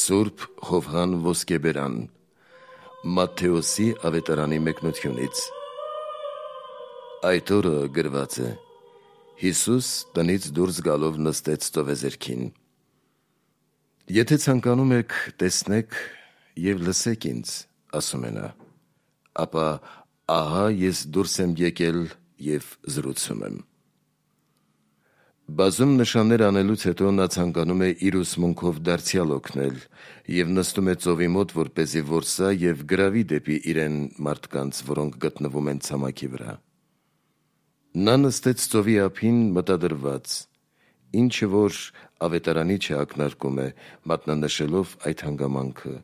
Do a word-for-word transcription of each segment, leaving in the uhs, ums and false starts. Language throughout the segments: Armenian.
Սուրբ Հովհան Ոսկեբերան Մատթեոսի ավետարանի մեկնությունից։ Այդ օրը գրված է. Հիսուս տնից դուրս գալով նստեց ծովեզերքին։ Եթե ցանկանում եք, տեսնեք և լսեք ինձ, ասում է նա, ապա ահա ես դուրս եմ եկել և զրուցում եմ։ Բազում նշաններ անելուց հետո նա ցանկանում է իր ուսմունքով դարձյալ օգնել և նստում է ծովի մոտ, որպեսզի որսա և գրավի դեպի իրեն մարդկանց, որոնք գտնվում են ցամաքի վրա։ Նա նստեց ծովի ափին մտադրված, ինչը որ ավետարանի չակնարկում է, մատնանշելով այդ հանգամանքը,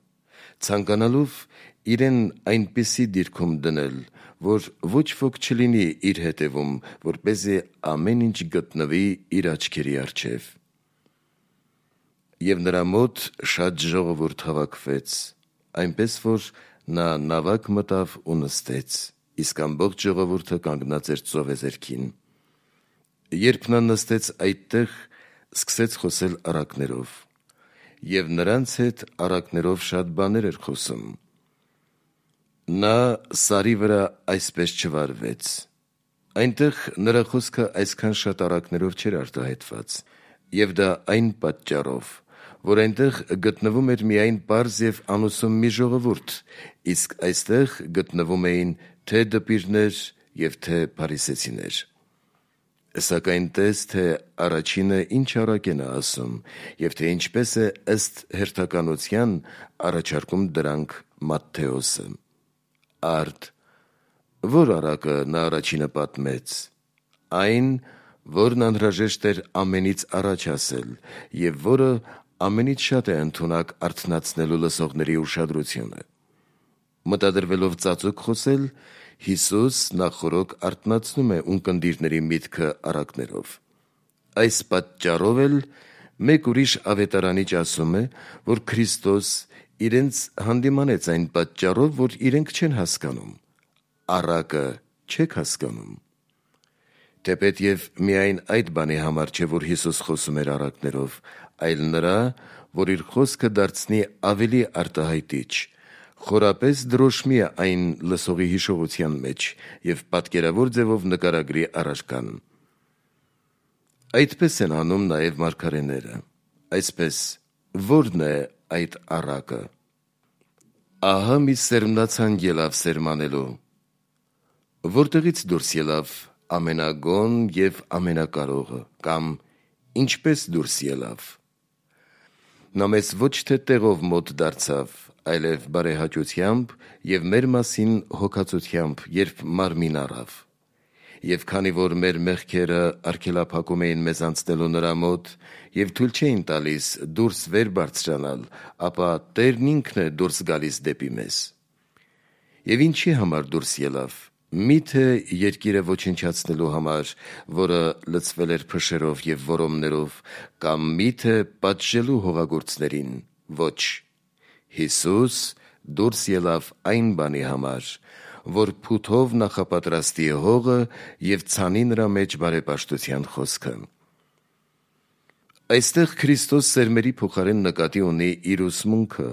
ցանկանալով իրեն այնպիսի դիրքում դնել, որ ոչ ոք չլինի իր հետևում, որպեսզի ամեն ինչ գտնվի իր աչքերի առջև։ Եվ նրա մոտ շատ ժողովուրդ հավաքվեց, այնպես որ նա նավակ մտավ ու նստեց, իսկ ամբողջ ժողովուրդը կանգնած էր ծովեզերքին։ Երբ նա նստեց այդտեղ, սկսեց խոսել առակներով, և նրանց հետ առակներով շատ բաներ էր խոսում։ Նա սարի վրա այսպես չվարվեց։ Այնտեղ նրա խոսքը այսքան շատ առակներով չէր արտահայտված, և դա այն պատճառով, որ այնտեղ գտնվում էր միայն պարզ և անուսում մի ժողովուրդ, իսկ այստեղ գտնվում էին թե դպիրներ և թե փարիսեցիներ։ Սակայն տես, թե առաջինը ինչ առակ է նա ասում, և թե ինչպես է ըստ հերթականության առաջարկում դրանք Մատթեոսը։ Արդ, որ առակը նա առաջինը պատմեց, այն, որն անհրաժեշտ էր ամենից առաջ ասել, և որը ամենից շատ է ընդունակ արթնացնելու լսողների ուշադրությունը։ Մտադրվելով ծածուկ խոսել, Հիսուս նախօրոք արթնացնում է ունկնդիրների միտքը առակներով։ Այս պատճառով էլ մեկ ուրիշ ավետարանիչ ասում է, որ Քրիստոս իրենց հանդիմանեց այն պատճառով, որ իրենք չեն հասկանում։ Առակը չեք հասկանում։ Թեպետև միայն այդ բանի համար չէ, որ Հիսուս խոսում էր առակներով, այլ նրա, որ իր խոսքը դարձնի ավելի արտահայտիչ, խորապես դրոշմի այն լսողի հիշողության մեջ և պատկերավոր ձևով նկարագրի առարկան։ Այդպես են անում նաև մարգարեները։ Այսպես, ո՞րն է այդ առակը։ Ահա մի սերմնացանկ ելավ սերմանելու։ Որտեղից դուրս ելավ ամենագոհն և ամենակարողը, կամ ինչպես դուրս ելավ։ Նա մեզ ոչ թե տեղով մոտ դարձավ, այլև բարեհաճությամբ և մեր մասին հոգածությամբ, երբ մարմին առավ։ Եվ քանի որ մեր մեղքերը արգելափակում էին մեզ անցնելու նրա մոտ և թույլ չէին տալիս դուրս վեր բարձրանալ, ապա Տերն ինքն է դուրս գալիս դեպի մեզ։ Եվ ինչի համար դուրս ելավ։ Մի՞թե երկիրը ոչնչացնելու համար, որը լցվել էր փշերով և որոմներով, կամ մի՞թե պատժելու հողագործներին։ Ոչ, Հիսուս դուրս ելավ այն բանի համար, որ փութով նախապատրաստի հողը և ցանի նրա մեջ բարեպաշտության խոսքը։ Այստեղ Քրիստոս սերմերի փոխարեն նկատի ունի իր ուսմունքը,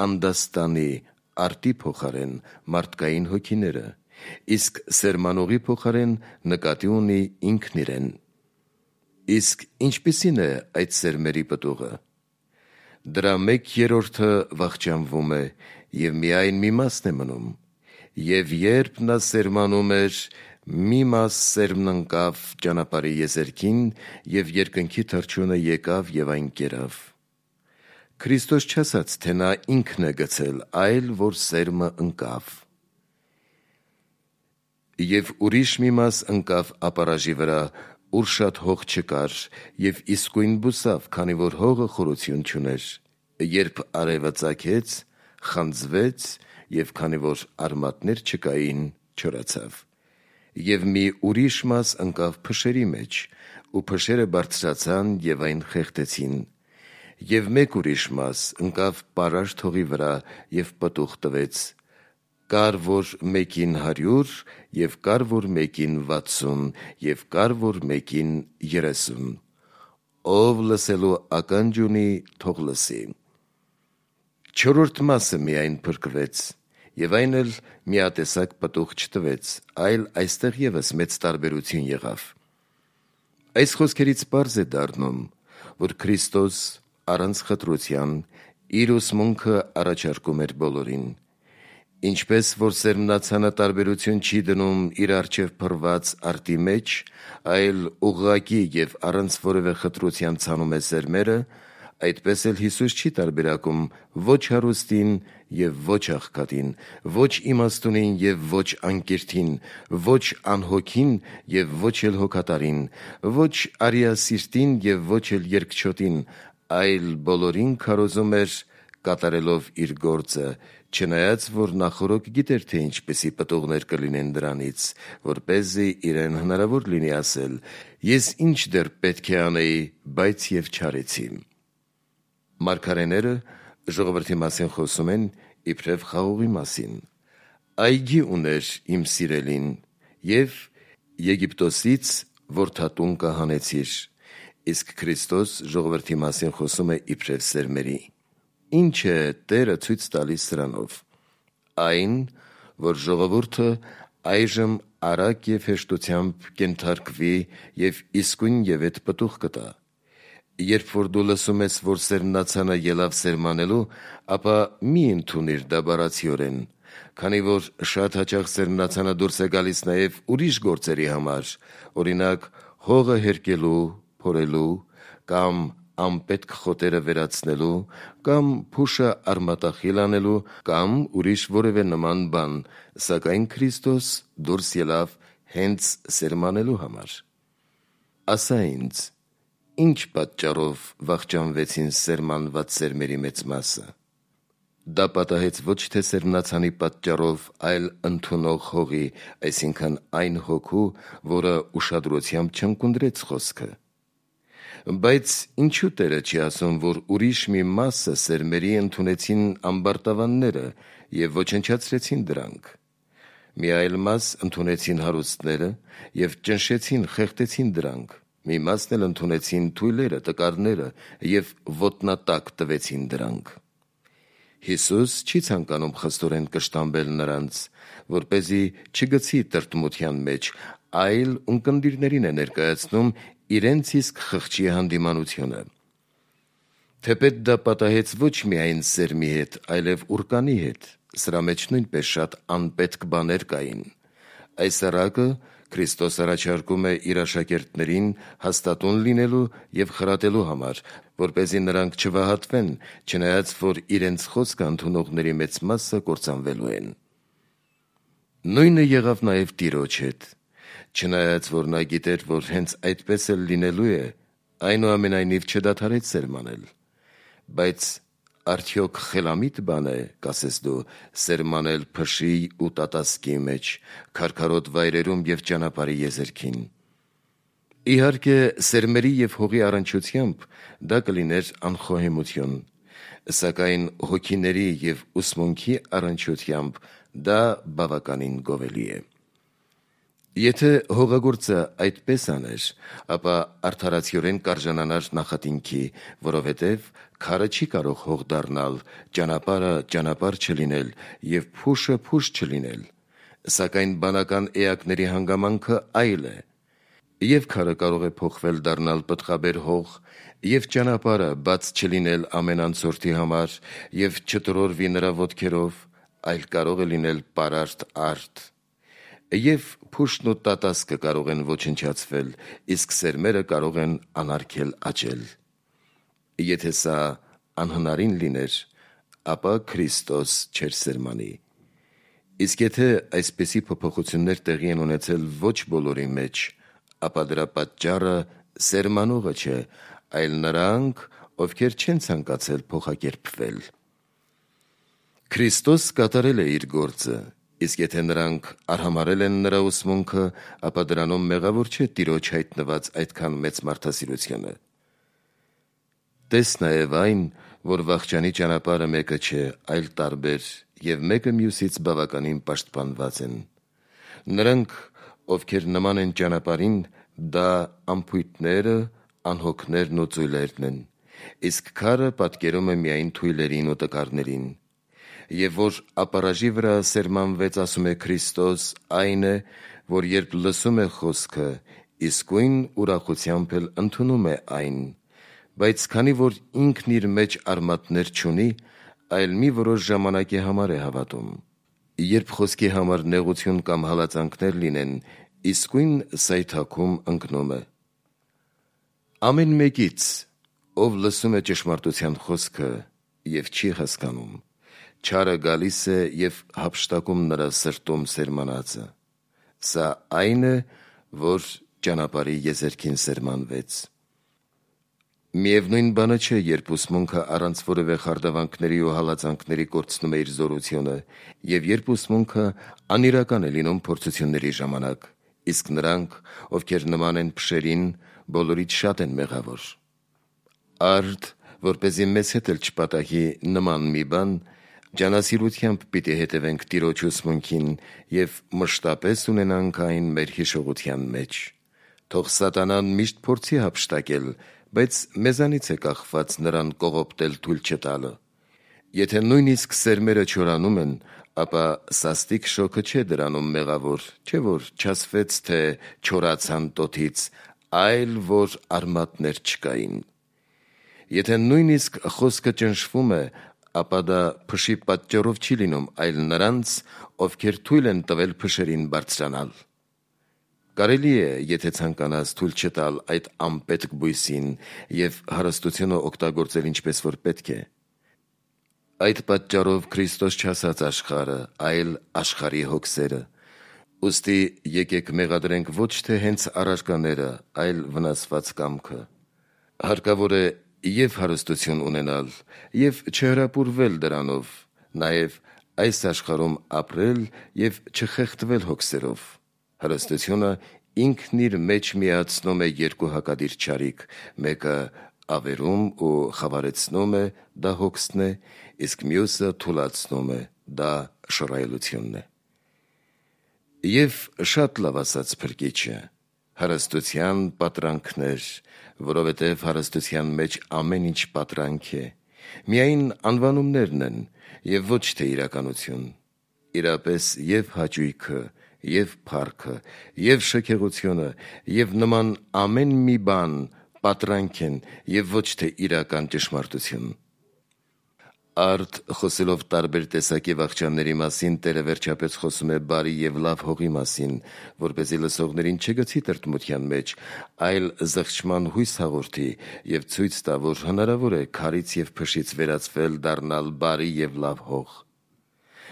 անդաստանի, արտի փոխարեն մարդկային հոգիները, իսկ սերմանողի փոխարեն նկատի ունի ինքն իրեն։ Իսկ ինչպիսի՞ն է այդ սերմերի պտուղը։ Դրա մեկ երրորդը վախճանվում է, և միայն մի մասն է մնում։ Եվ երբ նա սերմանում էր, մի մաս սերմն ընկավ ճանապարհի եզերքին, և երկնքի թռչյունը եկավ և այն կերավ։ Քրիստոս չասաց, թե նա ինքն է գցել, այլ որ սերմը ընկավ։ Եվ ուրիշ մի մաս ընկավ ապարաժի վրա, ուր շատ հող չկար, և իսկույն բուսավ, քանի որ հողը խորություն չուներ։ Երբ արևը ծագեց, խանձվեց, և քանի որ արմատներ չկային, չորացավ։ Եվ մի ուրիշ մաս ընկավ փշերի մեջ, ու փշերը բարձրացան և այն խեղդեցին։ Եվ մեկ ուրիշ մաս ընկավ պարարտ հողի վրա և պտուղ տվեց, կար որ մեկին հարյուր, և կար որ մեկին վաթսուն, և կար որ մեկին երեսուն։ Ով լսելու ականջ ունի, թող լսի։ Չորրորդ մասը միայն փրկվեց, եւ այն էլ միատեսակ պտուղ չտվեց, այլ այստեղ եւս մեծ տարբերություն եղավ։ Այս խոսքերից պարզ է դառնում, որ Քրիստոս առանց խտրության իր ուսմունքը առաջարկում էր բոլորին, ինչպես որ սերմնացանը տարբերություն չի դնում իր առջև փռված արտի մեջ, այլ ուղղակի եւ առանց որևէ խտրության ցանում է սերմերը, այդպես էլ Հիսուս չի տարբերակում ոչ հարուստին եւ ոչ աղքատին, ոչ իմաստունին եւ ոչ անկիրթին, ոչ անհոգին եւ ոչ էլ հոգատարին, ոչ արիասիրտին եւ ոչ էլ երկչոտին, այլ բոլորին քարոզում էր կատարելով իր գործը, չնայած որ նախորոք գիտեր թե ինչպեսի պտուղներ կլինեն դրանից, որպեսզի իրեն հնարավոր լինի ասել. «Ես ինչ դեռ պետք է անեի, բայց եւ չարեցի»։ Մարգարեները ժողովրդի մասին խոսում են իբրև խաղողի մասին։ Այգի ուներ իմ սիրելին, եւ Եգիպտոսից որդատուն կահանեցիր, իսկ Քրիստոս ժողովրդի մասին խոսում է իբրև սերմերի։ Ինչ է Տերը ցույց տալիս սրանով։ Այն, որ ժողովուրդը այժմ արագ եւ հեշտությամբ կենթարկվի եւ իսկույն եւ այդ պտուղ կտա։ Երբ որ դու լսում ես, որ սերմնացանը ելավ սերմանելու, ապա մի ընդունիր դա բառացիորեն, քանի որ շատ հաճախ սերմնացանը դուրս է գալիս նաեւ ուրիշ գործերի համար, օրինակ հողը հերկելու, փորելու կամ անպետք խոտերը վերացնելու, կամ փուշը արմատախիլ անելու, կամ ուրիշ որևէ նման բան, սակայն Քրիստոս դուրս ելավ հենց սերմանելու համար։ Ասա ինձ, ինչ պատճառով վախճանվեցին սերմանված սերմերի մեծ մասը։ Դա պատահեց ոչ թե սերմնացանի պատճառով, այլ ընդունող հողի, այսինքն այն հոգու, որը ուշադրությամբ չընկունդրեց խոսքը։ Բայց ինչու Տերը չի ասում, որ ուրիշ մի մասը սերմերի ընդունեցին ամբարտավանները եւ ոչնչացրեցին դրանք։ Մի այլ մաս ընդունեցին հարուստները եւ ճնշեցին, խեղդեցին դրանք։ Մի մասն էլ ընդունեցին թույլերը, տկարները եւ ոտնատակ տվեցին դրանք։ Հիսուս չի ցանկանում խստորեն կշտամբել նրանց, որպեսզի չգցի տրտմության մեջ, այլ ունկնդիրներին է ներկայացնում իրենց իսկ խղճի հանդիմանությունը։ Թեպետ դա պատահեց ոչ միայն սերմի հետ, այլև ուռկանի հետ, սրա մեջ նույնպես շատ անպետք բաներ կային։ Այս առակը Քրիստոս առաջարկում է իր աշակերտներին հաստատուն լինելու եւ խրատելու համար, որպեսզի նրանք չվահատվեն, չնայած որ իրենց խոսքը ընդունողների մեծ մասը կործանվելու են։ Նույնը եղավ նաեւ Տիրոջ հետ։ Չնայած որ նա գիտեր, որ հենց այդպես էլ լինելու է, այնուամենայնիվ չդադարեց սերմանել։ Բայց արդյոք խելամիտ բան է, կասես դու, սերմանել փշի ու տատասկի մեջ, քարքարոտ վայրերում եւ ճանապարհի եզերքին։ Իհարկե, սերմերի եւ հողի առնչությամբ դա կլիներ անխոհեմություն, սակայն հոգիների եւ ուսմունքի առնչությամբ դա բավականին գովելի է։ Եթե հողագործը այդպես աներ, ապա արդարացիորեն կարժանանար նախատինքի, որովհետև քարը չի կարող հող դառնալ, ճանապարհը ճանապարհ չլինել եւ փուշը փուշ չլինել, սակայն բանական էակների հանգամանքը այլ է։ Եվ քարը կարող է փոխվել դառնալ պտղաբեր հող, եւ ճանապարհը բաց չլինել ամեն անցորդի համար եւ չտրորվի նրա ոտքերով, այլ կարող է լինել պարարտ արտ։ Եվ փուշն ու տատասկը կարող են ոչնչացվել, իսկ սերմերը կարող են անարգել աճել։ Եթե սա անհնարին լիներ, ապա Քրիստոս չէր սերմանի։ Իսկ եթե այսպիսի փոփոխություններ տեղի են ունեցել ոչ բոլորի մեջ, ապա դրա պատճառը սերմանողը չէ, այլ նրանք, ովքեր չեն ցանկացել փոխակերպվել։ Քրիստոս կատարել է իր գործը, իսկ եթե նրանք արհամարել են նրա ուսմունքը, ապա դրանում մեղավոր չէ Տիրոջ հայտնված այդքան մեծ մարդասիրությունը։ Տես նաև այն, որ վախճանի ճանապարհը մեկը չէ, այլ տարբեր, եւ մեկը մյուսից բավականին պաշտպանված են։ Նրանք, ովքեր նման են ճանապարհին, դա անփույթները, անհոգներն ու ծույլերն են, իսկ քարը պատկերում է միայն թույլերին ու տկարներին։ Եվ որ ապարաժի վրա սերմանվեց, ասում է Քրիստոս, այն է, որ երբ լսում է խոսքը, իսկույն ուրախությամբ էլ ընդունում է այն, բայց քանի որ ինքն իր մեջ արմատներ չունի, այլ մի որոշ ժամանակի համար է հավատում։ Երբ խոսքի համար նեղություն կամ հալածանքներ լինեն, իսկույն սայթաքում ընկնում է։ Ամեն մեկից, ով լսում է ճշմարտության խոսքը և չի հասկանում, չարը գալիս է և հափշտակում նրա սրտում սերմանածը։ Սա այն է, որ ճանապարհի եզերքին սերմանվեց։ Միևնույն բանը չէ, երբ ուսմունքը առանց որևէ խարդավանքների ու հալածանքների կորցնում է իր զորությունը, և երբ ուսմունքը անիրական է լինում փորձությունների ժամանակ, իսկ նրանք, ովքեր նման են փշերին, բոլորից շատ են մեղավոր։ Արդ, որպեսզի մեզ հետ էլ չպատահի նման մի բան, ջանասիրությամբ պիտի հետևենք Տիրոջ ուսմունքին և մշտապես ունենանք այն մեր հիշողության մեջ։ Թող սատանան միշտ փորձի հափշտակել, բայց մեզանից է կախված նրան կողոպտել թույլ չտալը։ Եթե նույնիսկ սերմերը չորանում են, ապա սաստիկ շոգը չէ դրանում մեղավոր, չէ որ չասվեց, թե չորացան տոթից, այլ որ արմատներ չկային։ Եթե նույնիսկ խոսքը ճնշվում է, ապա դա փշի պատճառով չի լինում, այլ նրանց, ովքեր թույլ են տվել փշերին բարձրանալ։ Կարելի է, եթե ցանկանաս, թույլ չտալ այդ անպետք բույսին և հարստությունը օգտագործել ինչպես որ պետք է։ Այդ պատճառով Քրիստոս չասաց աշխարհը, այլ աշխարհի հոգսերը։ Ուստի եկեք մեղադրենք ոչ թե հենց առարկաները, այլ վնասված կամքը։ Հարկավոր է և հարստություն ունենալ, և չհրապուրվել դրանով, նաև այս աշխարհում ապրել և չխեղդվել հոգսերով։ Հարստությունը ինքն իր մեջ միացնում է երկու հակադիր չարիք, մեկը ավերում ու խավարեցնում է, դա հոգսն է, իսկ մյուսը թուլացնում է, դա շռայլությունն է։ Եվ շատ լավ ասաց Փրկիչը. հարստության պատրանքներ, որովհետև հարստության մեջ ամեն ինչ պատրանք է, միայն անվանումներն են և ոչ թե իրականություն։ Իրապես և հաճույքը, և փառքը, և շքեղությունը, և նման ամեն մի բան պատրանք են և ոչ թե իրական ճշմարտություն։ Արդ, խոսելով տարբեր տեսակի վախճանների մասին, Տերը վերջապես խոսում է բարի և լավ հողի մասին, որպեսզի լսողներին չգցի տրտմության մեջ, այլ զղջման հույս հաղորդի և ցույց տա, որ հնարավոր է քարից և փշից վերածվել դառնալ բարի և լավ հող։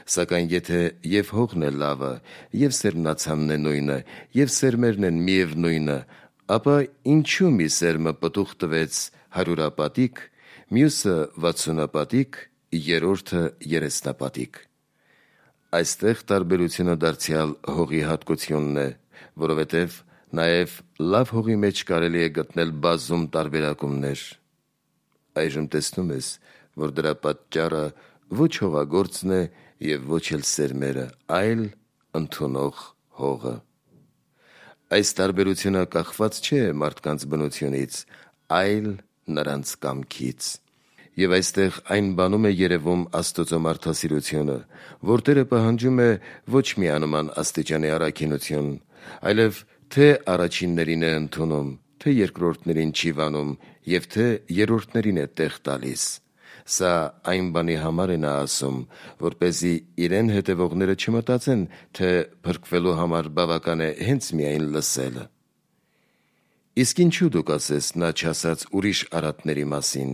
Սակայն եթե և հողն է լավը, և սերմնացանն է նույնը, և սերմերն են միևնույնը, ապա ինչու մի սերմը պտուղ տվեց հարյուրապատիկ, մյուսը վաթսունապատիկ, երրորդը երեսնապատիկ։ Այստեղ տարբերությունը դարձյալ հողի հատկությունն է, որովհետև նաև լավ հողի մեջ կարելի է գտնել բազում տարբերակումներ։ Այժմ տեսնում ես, որ դրա պատճառը ոչ հողագործն է և ոչ էլ սերմերը, այլ ընդունող հողը։ Այս տարբերությունը կախված չէ մարդկանց բնությունից, այլ նրանց կամքից։ Եվ այստեղ այն բանում է երևում Աստծո մարդասիրությունը, որ Տերը պահանջում է ոչ միանման աստիճանի առաքինություն, այլև թե առաջիններին է ընդունում, թե երկրորդներին չի վանում և թե երրորդներին է տեղ տալիս։ Սա այն բանի համար է նա ասում, որպեսզի իրեն հետևողները չմտածեն, թե փրկվելու համար բավական է հենց միայն լսելը։ Իսկ ինչու դու կասես նա չասաց ուրիշ արատների մասին,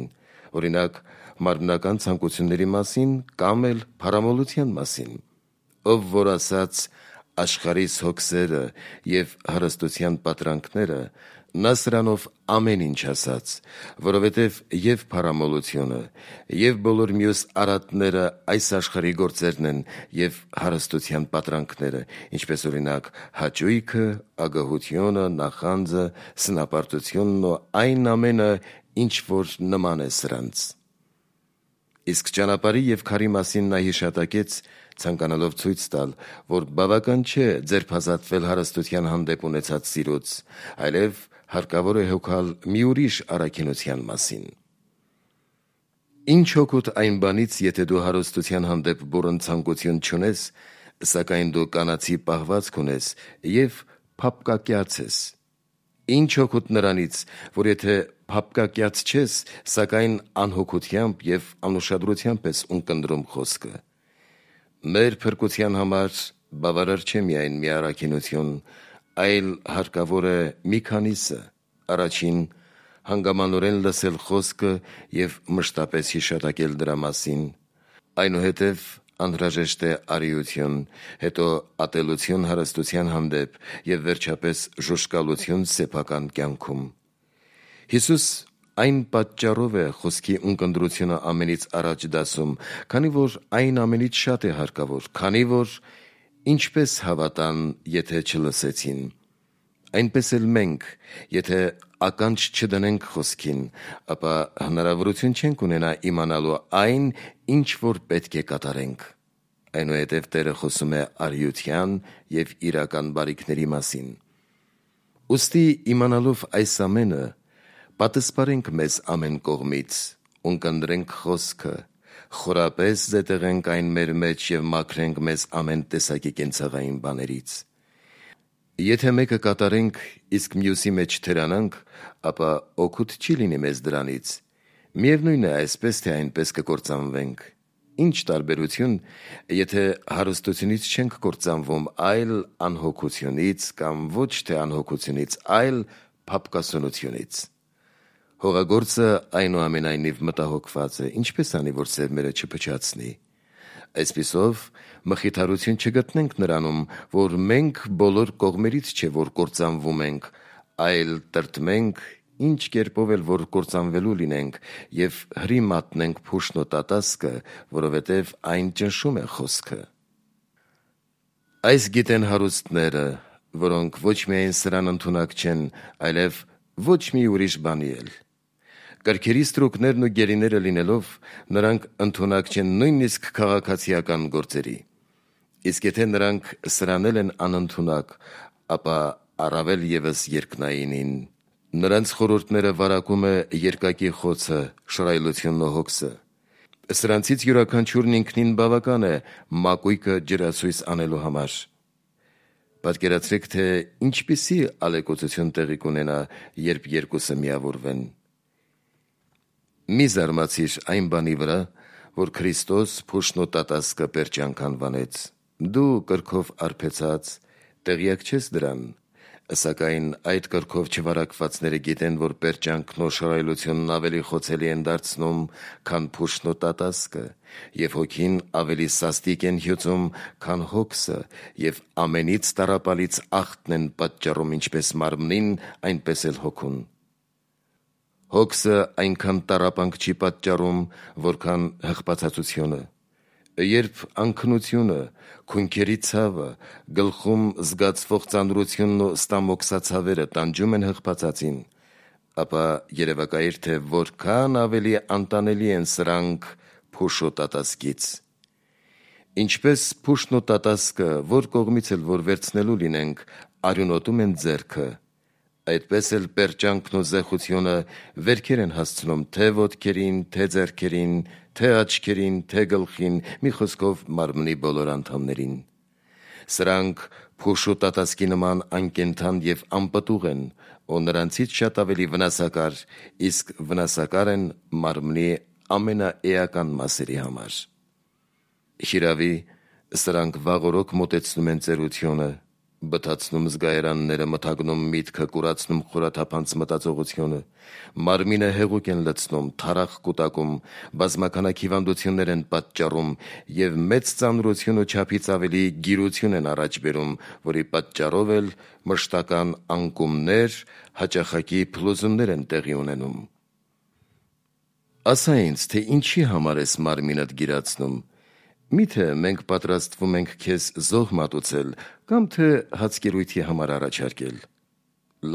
օրինակ մարմնական ցանկությունների մասին կամ էլ փառամոլության մասին, ով որ ասաց աշխարհիս հոգսերը և հարստության պատրանքները, նա սրանով ամեն ինչ ասաց, որովհետև և փառամոլությունը, և բոլոր մյուս արատները այս աշխարհի գործերն են և հարստության պատրանքները, ինչպես օրինակ հաճույքը, ագահությունը, նախանձը, սնապարտությունն ու այն ամենը, ինչ որ նման է սրանց։ Իսկ ճանապարհի և քարի մասին նա հիշատակեց, ցանկանալով ցույց տալ, որ բավական չէ ձերբազատվել հարստության հանդեպ ունեցած սիրուց, այլև հարկավոր է հոգալ մի ուրիշ առաքինության մասին։ Ինչ օգուտ այն բանից, եթե դու հարստության հանդեպ բուռն ցանկություն չունես, սակայն դու կանացի պահվածք ունես և փափկակյաց ես։ Ինչ օգուտ նրանից, որ եթե փափկակյաց չես, սակայն անհոգությամբ և անուշադրությամբ ես ունկնդրում խոսքը։ Մեր փրկության համար բավարար չէ միայն մի առաքինություն, այլ հարկավոր է մի քանիսը. առաջին, հանգամանորեն լսել խոսքը և մշտապես հիշատակել դրա մասին, այնուհետև անհրաժեշտ է արիություն, հետո ատելություն հարստության հանդեպ և վերջապես ժուժկալություն սեփական կյանքում։ Հիսուս այն պատճառով է խոսքի ունկնդրությունը ամենից առաջ դասում, քանի որ այն ամենից շատ է հարկավոր, քանի որ ինչպես հավատան, եթե չլսեցին, այնպես էլ մենք, եթե ականջ չդնենք խոսքին, ապա հնարավորություն չենք ունենա իմանալու այն, ինչ որ պետք է կատարենք։ Այնուհետև Տերը խոսում է արիության և իրական բարիքների մասին։ Ուստի իմանալով այս ամենը, պատսպարենք մեզ ամեն կողմից, ունկնդրենք խոսքը, խորապես զետեղենք այն մեր մեջ և մաքրենք մեզ ամեն տեսակի կենցաղային բաներից։ Եթե մեկը կատարենք, իսկ մյուսի մեջ թերանանք, ապա օգուտ չի լինի մեզ դրանից։ Միևնույն է, այսպես թե այնպես կկործանվենք։ Ինչ տարբերություն, եթե հարստությունից չենք կործանվում, այլ անհոգությունից, կամ ոչ թե անհոգությունից, այլ փափկասունությունից։ Հողագործը այնուամենայնիվ մտահոգված է, ինչպես անի, որ սերմերը չփչացնի։ Այսպիսով, մխիթարություն չգտնենք նրանում, որ մենք բոլոր կողմերից չէ, որ կործանվում ենք, այլ տրտմենք, ինչ կերպով էլ որ կործանվելու լինենք, և հրի մատնենք փուշն ու տատասկը, որովհետև այն ճնշում է խոսքը։ Այս գիտեն հարուստները, որոնք ոչ միայն սրան ընդունակ չեն, այլև ոչ մի ուրիշ բանի էլ։ Կրքերի ստրուկներն ու գերիները լինելով, նրանք ընդունակ չեն նույնիսկ քաղաքացիական գործերի։ Իսկ եթե նրանք սրանել են անընդունակ, ապա առավել ևս երկնայինին։ Նրանց խորհուրդները վարակում է երկակի խոցը, շռայլությունն ու հոգսը։ Սրանցից յուրաքանչյուրն ինքնին բավական է մակույկը ջրացույց անելու համար։ Պատկերացրեք, թե ինչպիսի ալեկոծություն տեղի կունենա, երբ երկուսը միավորվեն։ Մի զարմացիր այն բանի վրա, որ Քրիստոս փուշն ու տատասկը պերճանք անվանեց։ Դու կրքով արբեցած տեղյակ չես դրան, սակայն այդ կրքով չվարակվածները գիտեն, որ պերճանքն ու շռայլությունն ավելի խոցելի են դարձնում, քան փուշն ու տատասկը, և հոգին ավելի սաստիկ են հյուծում, քան հոգսը, և ամենից տառապալից ախտն են պատճառում ինչպես մարմնին, այնպես էլ հոգուն։ Հոգսը այնքան տառապանք չի պատճառում, որքան հղպացածությունը։ Երբ անքնությունը, քունքերի ցավը, գլխում զգացվող ծանրությունն ու ստամոքսացավերը տանջում են հղպացածին, ապա երևակայիր, թե որքան ավելի անտանելի են սրանք փուշ ու տատասկից։ Ինչպես փուշն ու տատասկը, որ կողմից էլ որ վերցնելու լինենք, արյունոտում են ձեռքը, այդպես էլ պերճանքն ու զեխությունը վերքեր են հասցնում թե ոտքերին, թե ձեռքերին, թե աչքերին, թե գլխին, մի խոսքով մարմնի բոլոր անդամներին։ Սրանք փուշ ու տատասկի նման անկենդան և անպտուղ են, ու նրանցից շատ ավելի վնասակար, իսկ վնասակար են մարմնի ամենաէական մասերի համար։ Հիրավի, սրանք վաղօրոք մոտեցնում են ծերությունը, բթացնում զգայարանները, մթագնում միտքը, կուրացնում խորաթափանց մտածողությունը, մարմինը հեղուկ են լցնում, թարախ կուտակում, բազմաքանակ հիվանդություններ են պատճառում և մեծ ծանրություն ու չափից ավելի գիրություն են առաջ բերում, որի պատճառով էլ մշտական անկումներ, հաճախակի փլուզումներ են տեղի ունենում։ Ասա ինձ, թե ինչի համար ես մարմինդ գիրացնում։ Միթե մենք պատրաստվում ենք քեզ զոհ մատուցել, կամ թե հացկերույթի համար առաջարկել։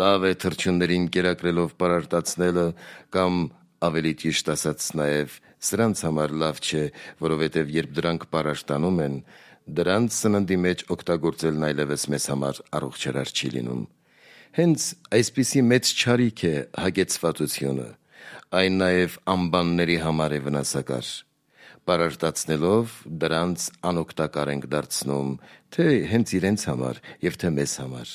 Լավ է թռչուններին կերակրելով պարարտացնելը, կամ ավելի ճիշտ ասած նաև սրանց համար լավ չէ, որովհետև երբ դրանք պարարտանում են, դրանց սննդի մեջ օգտագործելն այլևս մեզ համար առողջարար չի լինում։ Հենց այսպիսի մեծ չարիք է հագեցվածությունը, այն նաև ամբանների համար է վնասակար։ Պարարտացնելով դրանց անօգտակար ենք դարձնում, թե հենց իրենց համար և թե մեզ համար,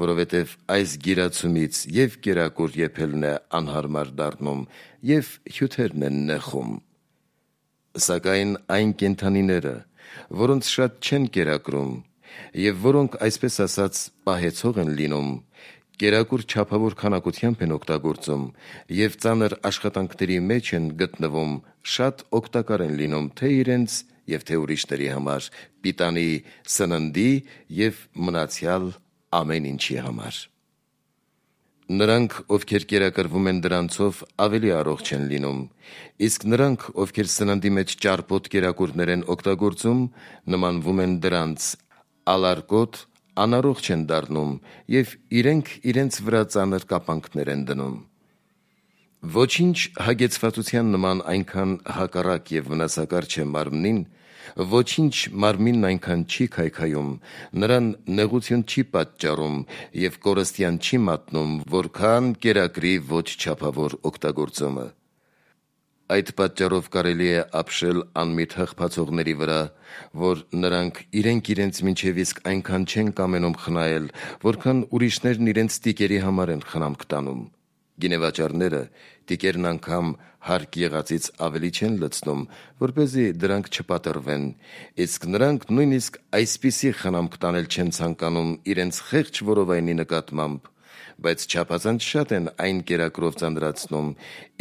որովհետև այս գիրացումից և կերակուր եփելն է անհարմար դառնում, և հյութերն են նեխում։ Սակայն այն կենդանիները, որոնց շատ չեն կերակրում, և որոնք, այսպես ասած, պահեցող են լինում, կերակուր չափավոր քանակությամբ են օգտագործում և ծանր աշխատանքների մեջ են գտնվում, շատ օգտակար են լինում թե իրենց և թե ուրիշների համար, պիտանի սննդի և մնացյալ ամեն ինչի համար։ Նրանք, ովքեր կերակրվում են դրանցով, ավելի առողջ են լինում, իսկ նրանք, ովքեր սննդի մեջ ճարպոտ կերակուրներ են օգտագործում, նմանվում են դրանց, ալարկոտ, անառողջ են դառնում և իրենք իրենց վրա ծանր կապանքներ են դնում։ Ոչինչ հագեցվածության նման այնքան հակառակ և վնասակար չէ մարմնին, ոչինչ մարմինն այնքան չի քայքայում, նրան նեղություն չի պատճառում և կորստյան չի մատնում, որքան կերակրի ոչ չափավոր օգտագործումը։ Այդ պատճառով կարելի է ապշել անմիտ հղբացողների վրա, որ նրանք իրենք իրենց մինչև իսկ այնքան չեն կամենում խնայել, որքան ուրիշներն իրենց տիկերի համար են խնամք տանում։ Գինեվաճառները տիկերն անգամ հարկ եղածից ավելի չեն լցնում, որպեսզի դրանք չպատռվեն, իսկ նրանք նույնիսկ այսպիսի խնամք տանել չեն ցանկանում իրենց խեղճ որովայնի նկատմամբ, բայց չափազանց շատ են այն կերակրով ծանրացնում,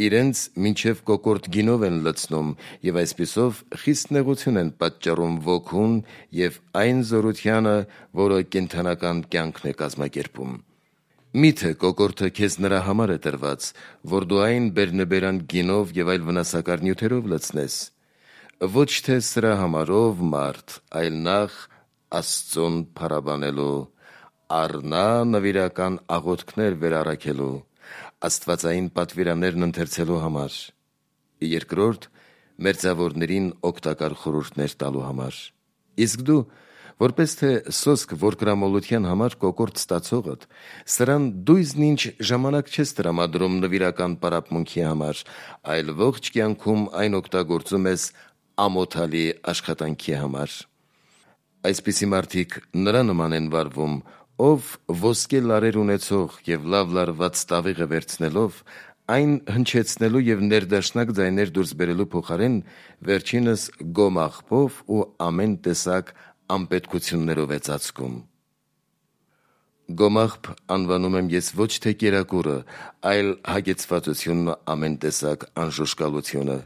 իրենց մինչև կոկորտ գինով են լցնում և այսպիսով խիստ նեղություն են պատճառում ոգուն և այն զորությանը, որը կենդանական կյանքն է կազմակերպում։ Մի՞թե կոկորդը քեզ նրա համար է տրված, որ դու այն բերնեբերան գինով և այլ վնասակար նյութերով լցնես։ Ոչ թե սրա համարով մարդ, այլ նախ Աստծուն փառաբանելու, առնա նվիրական աղոթքներ վերառաքելու, աստվածային պատվիրաններն ընթերցելու համար, երկրորդ մերձավորներին օգտակար խորհուրդներ տալու համար։ Իսկ դու, որպես թե սոսկ որդորամոլության համար կոկորտ ստացողդ, սրան դույզն-ինչ ժամանակ չես տրամադրում նվիրական պարապմունքի համար, այլ ողջ կյանքում այն օգտագործում ես ամոթալի աշխատանքի համար։ Այսպիսի մարդիկ նրա նման են վարվում, ով ոսկե լարեր ունեցող և լավ լարված տավիղը վերցնելով, այն հնչեցնելու և ներդաշնակ ձայներ դուրս բերելու փոխարեն, վերջինս գոմաղբով ու ամեն տեսակ անպետքություններով է ծածկում։ Գոմաղբ անվանում եմ ես ոչ թե կերակուրը, այլ հագեցվածությունն ու ամեն տեսակ անժուժկալությունը,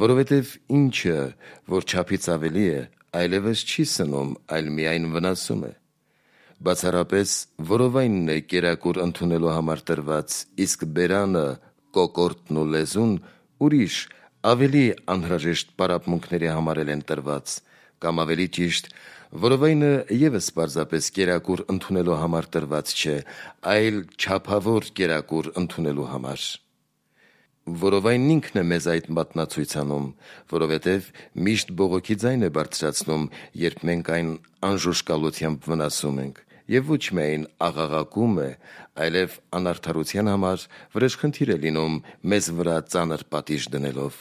որովհետև ինչը, որ չափից ավելի է, այլևս չի սնում, այլ միայն վնասում է։ Բացառապես որովայնն է կերակուր ընդունելու համար տրված, իսկ բերանը, կոկորդն ու լեզուն ուրիշ, ավելի անհրաժեշտ պարապմունքների համարել են տրված, կամ ավելի ճիշտ, որովայնը ևս պարզապես կերակուր ընդունելու համար տրված չէ, այլ չափավոր կերակուր ընդունելու համար։ Որովայնն ինքն է մեզ այդ մատնացույց անում, որովհետև միշտ բողոքի ձայն է բարձրացնում, երբ մենք այն անժուժկալությամբ վնասում ենք, և ոչ միայն աղաղակում է, այլև անարդարության համար վրեժխնդիր է լինում մեզ վրա ծանր պատիժ դնելով։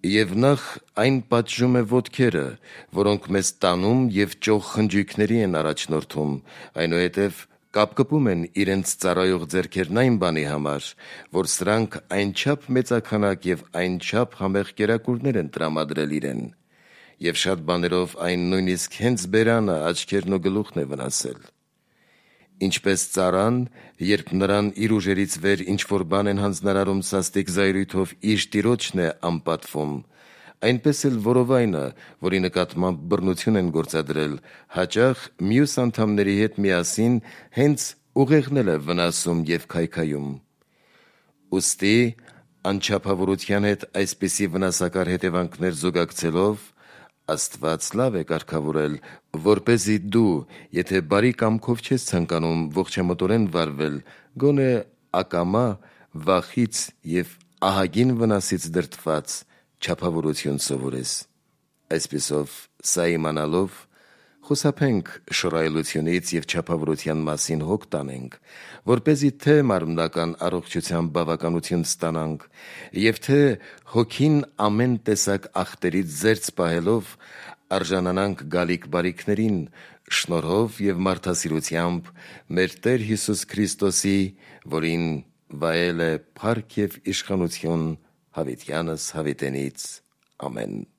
Եվ նախ այն պատժում է ոտքերը, որոնք մեզ տանում և ճոխ խնջույքների են առաջնորդում, այնուհետև կապկպում են իրենց ծառայող ձեռքերն այն բանի համար, որ սրանք այնչափ մեծաքանակ և այնչափ համեղ կերակուրներ են տրամադրել իրեն, և շատ բաներով այն նույնիսկ հենց բերանը, աչքերն ու գլուխն է վնասել։ Ինչպես ծառան, երբ նրան իր ուժերից վեր ինչ-որ բան են հանձնարարում սաստիկ զայրույթով, իր տիրոջն է անպատվում, այնպես էլ որովայնը, որի նկատմամբ բռնություն են գործադրել, հաճախ մյուս անդամների հետ միասին հենց ուղեղն էլ է վնասում և քայքայում։ Ուստի անչափավորության հետ այսպիսի վնասակար հետևանքներ զուգակցելով, Աստված լավ է կարգավորել, որպեսզի դու, եթե բարի կամքով չես ցանկանում ողջամտորեն վարվել, գոնե ակամա վախից և ահագին վնասից դրդված չափավորություն սովորես։ Այսպիսով, սա իմանալով, Խուսափենք շռայլությունից և չափավորության մասին հոգ տանենք, որպեսզի թե մարմնական առողջության բավականություն ստանանք, և թե հոգին ամեն տեսակ ախտերից զերծ պահելով արժանանանք գալիք բարիքներին, շնորհով և մարդասիրությամբ մեր Տեր Հիսուս Քրիստոսի, որին վայել է փառք և իշխանություն հավիտյանս հավիտենից։ Ամեն։